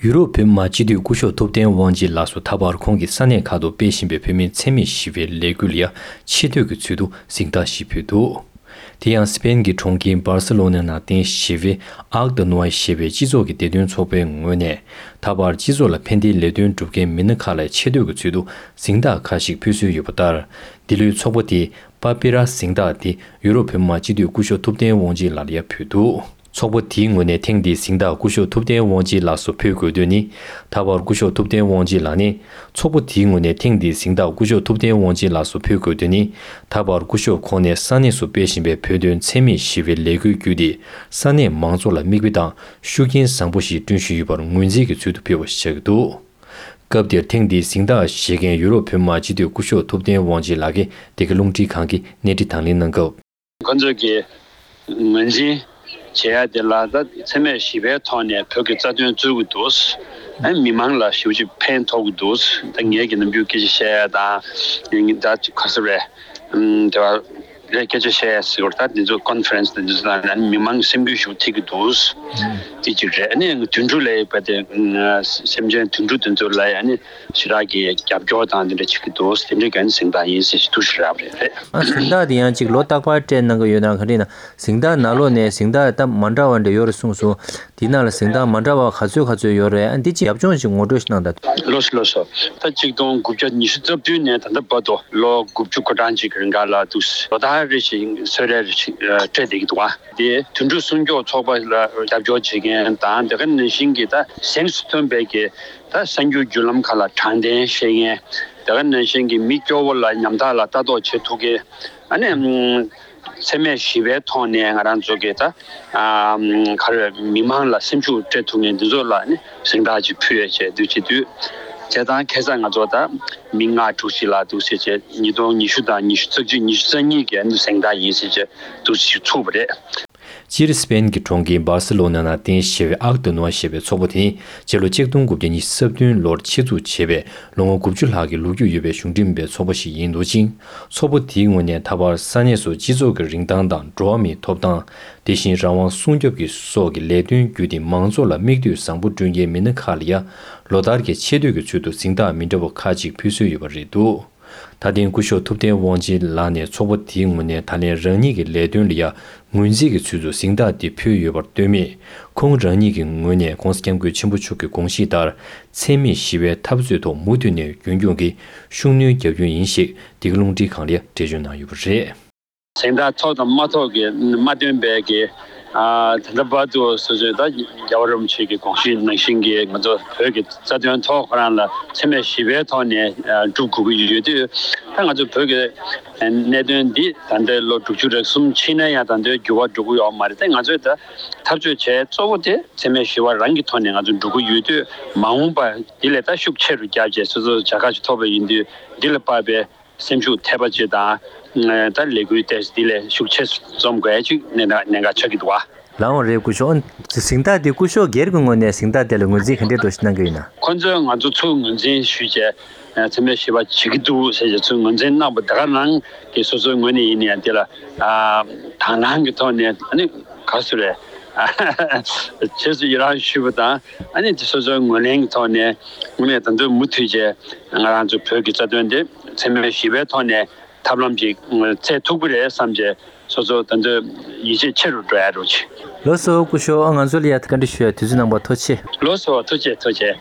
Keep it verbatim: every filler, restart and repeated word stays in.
ཡུ་རོབ་བོད་མི་མང་སྤྱི་འཐུས་སྐུ་ཞབས་ཐུབ་བསྟན་དབང་ཆེན་ལགས་སུ་ད་བར་ཁོང་གིས་ས་གནས་ཁག་ཏུ་སྤེལ་བཞིན་པའི་བོད་མིའི་འཚེ་མེད་ཞི་བའི་ལས་འགུལ་ལ་ཡང་ཆེ་བསྟོད་ཀྱི་ཚུལ་དུ་གཟེངས་རྟགས་ཤིག་ཕུལ་འདུག། དེ་ཡང་སི་པེན་གྱི་གྲོང་ཁྱེར་འབར་སེ་ལོ་ན་ནང་རྟེན་གཞི་བྱས་པའི་ཨག་ཏི་ནུ་ཨའི་ཞེས་པའི་སྤྱི་ཚོགས་ཀྱི་བདེ་དོན་ཚོགས་པའི་ངོས་ནས་ད་བར་སྤྱི་ཚོགས་ལ་ཕན་བདེའི་ལས་དོན་སྒྲུབ་མཁན་མི་སྣ་ཁག་ལ་ཆེ་བསྟོད་ཀྱི་ཚུལ་དུ་གཟེངས་རྟགས་ཁག་ཅིག་ཕུལ་སྲོལ་ཡོད་པ་ལྟར། འདི་ལོའི་ཚོགས་པ་དེས་པ་པི་ར་གཟེངས་རྟགས་དེ་ཡུ་རོབ་བོད་མི་མང་སྤྱི་འཐུས་སྐུ་ཞབས་ཐུབ་བསྟན་དབང་ཆེན་ལགས་ལ་ཡང་ཕུལ་འདུག། ཚོགས་པ་དེའི་ངོས་ནས་ཐེངས་འདིའི་གཟེངས་རྟགས་སྐུ་ཞབས་ཐུབ་བསྟན་དབང་ཆེན་ལགས་སུ་ཕུལ་དགོས་དོན་ནི། ད་བར་སྐུ་ཞབས་ཐུབ་བསྟན་དབང་ཆེན་ལགས་ནི། ཚོགས་པ་དེའི་ངོས་ནས་ཐེངས་འདིའི་གཟེངས་རྟགས་སྐུ་ཞབས་ཐུབ་བསྟན་དབང་ཆེན་ལགས་སུ་ཕུལ་དགོས་དོན་ནི། ད་བར་སྐུ་ཞབས་ཁོང་ནས་ས་གནས་སུ་སྤེལ་བཞིན་པའི་བོད་དོན་འཚེ་མེད་ཞི་བའི་ལས་འགུལ་བརྒྱུད་དེ། ས་གནས་མང་ཚོགས་ལ་མིག་དཔེ་དང་ཤུགས་རྐྱེན་བཟང་པོ་ཞིག་བསྐྲུན་བཞིན་ཡོད་པར་ངོས་འཛིན་གྱི་ཚུལ་དུ་ཕུལ་བ་ཞིག་ཆགས་ཀྱི་འདུག། སྐབས་དེར་ཐེངས་འདིའི་གཟེངས་རྟགས་བཞེས་མཁན་ཡུ་རོབ་བོད་མི་མང་སྤྱི་འཐུས་སྐུ་ཞབས་ཐུབ་བསྟན་དབང་ཆེན་ལགས་ཀྱིས་འདི་ག་རླུང་འཕྲིན་ཁང་གི་གནས་འདྲི་དང་ལེན་གནང་སྐབས། ཁོ་ཚོས་ཀྱི་ངོས་འཛིན་བྱེད་ཡ་དེ་ལ་ད་འཚེ་མེད་ཞི་བའི་ཐོག་ནས་བོད་ཀྱི་རྩ་དོན་རྩོད་ཀྱི་འདུག། ཨ་མི་མང་ལ་ཞེ་པོ་ཅིག་ཕན་ཐོགས་ཀྱི་འདུག། ད་ངེད་ཀྱི་ནམ་རྒྱུན་སྐད་ཆ་བཤད་ཡ་དང་ཡིན་ད་ཅིག་ག་ཟེར་རེད། ཨམ་དེ་བ་རེད་སྐད་ཆ་བཤད་ཡ་ཟེར་བ་ད་འདི་ཚོ་ཀོན་ཕ་རེན་སི་དང་འདི་ཚོ་དང་ཨ་ནི་མི་མང་སེམས་འགུལ་ཞིག་ཐེབས་ཀྱི་འདུག། དེ་གཅིག་རེད། ཨ་ནི་དུད་འགྲོ་ལ་ཡོད་པ་དེ་སེམས་ཅན་དུད་འགྲོ་དེ་ཚོ་ལ་ཡ་ཨ་ནི་ཞེ་དྲག་གི་རྒྱབ་སྐྱོར་དང་དེ་འདྲ་བྱེད་ཀྱི་འདུག། དེ་འདྲའི་གན་གཟེངས་རྟགས་ཡིན་ཟེར་ཞིག་ཐུགས་ཞེ་དྲག་རེད། རེད། ཨ་གཟེངས་རྟགས་དེ་ཡང་གཅིག་ལོ་རྟག་པར་སྤྲད་གནང་གི་ཡོད་ན་ག་རེ་ཡིན་ན། གཟེངས་རྟགས་ནང་ལོགས་ནས་གཟེངས་རྟགས་ད་མ་འདྲ་བ་འདྲ་ཡོད་རེད་གསུངས་སོང་། དེའི་ནང་ལ་གཟེངས་རྟགས་མ་འདྲ་བ་ག་ཚོད་ག་ཚོད་ཡོད་རེད། ཨ་འདི་ཅིག་རྒྱབ་ལྗོངས་ཤིག་ངོ་སྤྲོད་ཞིག་གནང་དང་། ལགས་སོ་ལགས་སོ། ད་གཅིག་སྟོང་དགུ་བརྒྱ་ཉི་ཤུ་རྩ་བདུན་ནས་ད་ལྟ་བར་དུ་ལོ་དགུ་བཅུ་གོ་གྲངས་ཅིག་གི་རིང་ག་ལ་འདུག། ལོ་ལྟར་རེ་བཞིན་གསོལ་རས་རེ་བཞིན་སྤྲད་བསྡད་ཀྱི་འདུག་བ། དེ་དུད་འགྲོ་སྲུང་སྐྱོབ་ཚོགས་པ་ལ་རྒྱབ་སྐྱོར་བྱེད་མཁན་དང་དེ་ག་ནང་བཞིན་གྱི་ད་གཟེངས་སུ་ཐོན་པའི་གི་ད་གསར་འགྱུར་བརྒྱུད་ལམ་ཁག་ལ་དྲང་བདེན་བཤད་མཁན་དེ་ག་ནང་བཞིན་གྱི་མི་སྐྱོ་བོ་ལ་ཉམ་ཐག་ལ་ལྟ་རྟོག་བྱེད་ཐུབ་མཁན། ཨ་ནི་ཨམ་འཚེ་མེད་ཞི་བའི་ཐོག་ནས་ང་རང་ཚོ་གི་ད་ཨམ་ག་རེ་མི་མང་ལ་སེམས་ཤུགས་སྤྲད་ཐུབ་མཁན་འདི་ཚོ་ལ་ནི་གཟེངས་རྟགས་ཅིག་ཕུལ་ཡས་བྱས་དུས་བྱེད་དུས། བྱས་ཙང་ཁ་སང་ང་ཚོ་ད་མི་ལྔ་དྲུག་ཅིག་ལ་འདུག་ཟེར་བྱས་ཉིས་སྟོང་ཉི་ཤུ་དང་ཉི་ཤུ་རྩ་གཅིག་ཉི་ཤུ་རྩ་གཉིས་ཀྱི་ཨ་ནི་གཟེངས་རྟགས་ཡིན་ཟེར་བྱས་འདུག་ཅིག་ཚུགས་པ་རེད། སྤྱིར་སི་པེན་གྱི་གྲོང་ཁྱེར་འབར་སེ་ལོ་ན་ནང་རྟེན་གཞི་བྱས་པའི་ཨག་ཏི་ནུ་ཨ་ཞེས་པའི་ཚོགས་པ་དེ་ནི་སྤྱི་ལོ་ཆིག་སྟོང་དགུ་བརྒྱ་ཉི་ཤུ་རྩ་བདུན་ལོར་ཆེད་འཛུགས་བྱས་པའི་ལོ་ངོ་དགུ་བཅུ་ལྷག་གི་ལོ་རྒྱུས་ཡོད་པའི་གཞུང་འབྲེལ་མིན་པའི་ཚོགས་པ་ཞིག་ཡིན་འདུག་ཅིང་། ཚོགས་པ་དེའི་ངོས་ནས་ད་བར་ས་གནས་སུ་སྤྱི་ཚོགས་ཀྱི་རིན་ཐང་དང་འགྲོ་བ་མིའི་ཐོབ་ཐང་། དེ་བཞིན་རང་དབང་སྲུང་སྐྱོབ་ཀྱི་སོགས་ཀྱི་ལས་དོན་བརྒྱུད་དེ་མང་ཚོགས་ལ་མིག་ལྟོས་བཟང་པོ་བསྐྲུན་མཁན་མི་སྣ་ཁག་ལ་ཡང་ལོ་ལྟར་གྱི་ཆེ་བསྟོད་ཀྱི་ཚུལ་དུ་གཟེངས་རྟགས་མི་འདྲ་བ་ཁག་ཅིག་ཕུལ་སྲོལ་ཡོད་པ་རེད་འདུག། ད་ཐེངས་སྐུ་ཞབས་ཐུབ་བསྟན་དབང་ཆེན་ལགས་ནས་ཚོགས་པ་དེའི་ངོས་ནས་ད་ལན་རང་ཉིད་ཀྱི་ལས་དོན་ལ་ཡང་ངོས་འཛིན་གྱི་ཚུལ་དུ་གཟེངས་རྟགས་འདི་ཕུལ་ཡོད་པར་ལྟོས་མེད། ཁོང་རང་ཉིད་ཀྱི་ངོས་ནས་༸གོང་ས་༸སྐྱབས་མགོན་ཆེན་པོ་མཆོག་གི་དགོངས་གཞི་ལྟར་འཚེ་མེད་ཞི་བའི་འཐབ་རྩོད་ཐོག་མུ་མཐུད་ནས་རྒྱུན་འཁྱོངས་ཀྱིས་ཤུགས་སྣོན་རྒྱག་རྒྱུ་ཡིན་ཞེས་འདི་ག་རླུང་འཕྲིན་ཁང་ལ་ཡང་འགྲེལ་བརྗོད་གནང་ཡོད་པ་རེད། གཟེངས་རྟགས་ཐོབ་དང་མ་ཐོབ་ཀྱི་མ་སྟོན་པའི་གི་ཨ་ད་ལྟ་བར་དུ་སོ་སོའི་ད་རྒྱལ་བ་རིན་པོ་ཆེ་གི་དགོངས་གཞི་ནང་བཞིན་གྱི་ང་ཚོ་བོད་ཀྱི་རྩ་དོན་ཐོག་ཁོ་རང་ལ་འཚེ་མེད་ཞི་བའི་ཐོག་ནས་ཨ་སྒྲུབ་དགོས་ཀྱི་ཡོད་དུས། ད་ང་ཚོ་བོད་ཀྱི་གནད་དོན་འདི་ད་ལྟའི་ལོ་དྲུག་ཅུ་རེ་གསུམ་ཕྱིན་ན་ཡང་ད་ལྟའི་འགྱུར་བ་འགྲོ་གི་ཡོད་མ་རེད། ད་ང་ཚོས་ད་འཐབ་རྩོད་བྱས་གཙོ་བོ་དེ་འཚེ་མེད་ཞི་བ་རང་གི་ཐོག་ནས་ང་ཚོ་འགྲོ་གི་ཡོད་དུས། མ་འོངས་པ་འདི་ལས་ད་ཤུགས་ཆེ་རུ་བརྒྱབ་བྱས་སོ་སོ་བྱ་དགའ་ཞིག་ཐོབ་པ་ཡིན་དུས་འདི་ལ་དཔག་པའི་སེམས་ཤུགས་ཐེབས་པ་ཅིག་དང་། ད་ལས་འགུལ་དེ་འདི་ལས་ཤུགས་ཆེ་རྩོམ་དགོས་ཡ་ཅིག་གནད་འགག་གནད་འགག་ཆགས་ཀྱི་འདུག་བ། ལགས་འོང་རེད། སྐུ་ཞབས་གཟེངས་རྟགས་དེ་སྐུ་ཞབས་སྒེར་གྱི་ངོས་ནས་གཟེངས་རྟགས་དེ་ལ་ངོས་འཛིན་ག་འདྲའི་འདྲ་ཞིག་གནང་གི་ཡོད་ན། ཁོང་ཚོས་ང་ཚོ་ཚུར་ངོས་འཛིན་ཞུས་བྱས་འཚེ་མེད་ཞི་བ་བྱེད་ཀྱི་འདུག་ཟེར་བྱས་ཚུར་ངོས་འཛིན་གནང་བ་དེ་ག་རང་གི་སོ་སོའི་ངོས་ནས་ཡིན་ནའང་དེ་ལ་དང་བླངས་ཀྱི་ཐོག་ནས་ཨ་ནི་ག་ཟེར་རེད། རྗེས་སུ་ཡི་རང་ཞུས་པ་དང་ཨ་ནི་དེ་སོ་སོའི་ངོས་ལེན་གྱི་ཐོག་ནས་ངོས་ནས་ད་དུང་མུ་མཐུད་བྱས་ང་རང་ཚོ་བོད་ཀྱི་རྩ་དོན་དེ་འཚེ་མེད་ཞི་བའི་ཐོག་ནས་ཐབས་ལམ་ཅིག་བཙལ་ཐུབ་ཀྱི་རེད་བསམ་བྱས་སོ་སོ་ད་དུང་ཡིད་ཆེས་ཆེ་རུ་འགྲོ་ཡ་རོགས་གྱིས། ལགས་སོ། སྐུ་ཞབས་ང་ཚོ་ལ་ཡ་བཀའ་འདྲི་ཞུ་ཡ་དུས་ཚོད་གནང་བར་ཐུགས་རྗེ་ཆེ། ལགས་སོ། ཐུགས་རྗེ་ཆེ། ཐུགས་རྗེ་ཆེ།